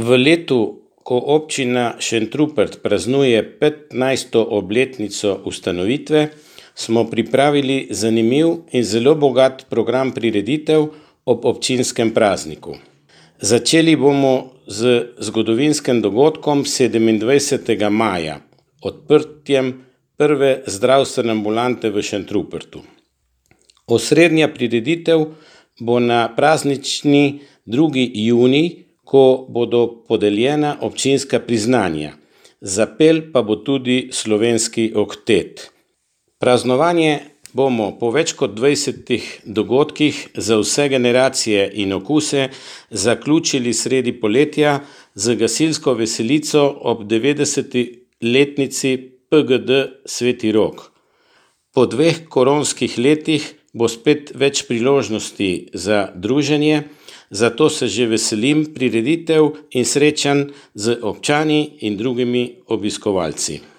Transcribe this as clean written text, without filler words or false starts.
V letu, ko občina Šentrupert praznuje 15. obletnico ustanovitve, smo pripravili zanimiv in zelo bogat program prireditev ob občinskem prazniku. Začeli bomo z zgodovinskim dogodkom 27. maja, odprtjem prve zdravstvene ambulante v Šentrupertu. Osrednja prireditev bo na praznični 2. junij, ko bodo podeljena občinska priznanja. Zapel pa bo tudi slovenski oktet. Praznovanje bomo po več kot 20 dogodkih za vse generacije in okuse zaključili sredi poletja z gasilsko veselico ob 90-letnici PGD Sveti Rok. Po 2 koronskih letih bo spet več priložnosti za druženje, zato se že veselim prireditev in srečanj z občani in drugimi obiskovalci.